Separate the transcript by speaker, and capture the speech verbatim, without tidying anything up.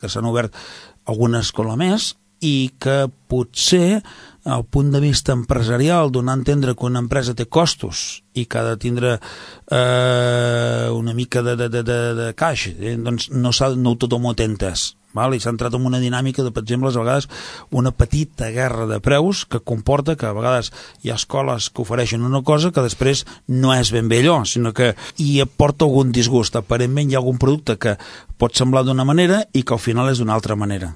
Speaker 1: que s'han obert alguna escola més i que potser el punt de vista empresarial, donar a entendre que una empresa té costos i que ha de tindre eh, una mica de, de, de, de caix, eh, doncs no, no tothom ho té entès. Val? I s'ha entrat en una dinàmica de, per exemple, a vegades una petita guerra de preus que comporta que a vegades hi ha escoles que ofereixen una cosa que després no és ben bé allò, sinó que hi aporta algun disgust. Aparentment hi ha algun producte que pot semblar d'una manera i que al final és d'una altra manera.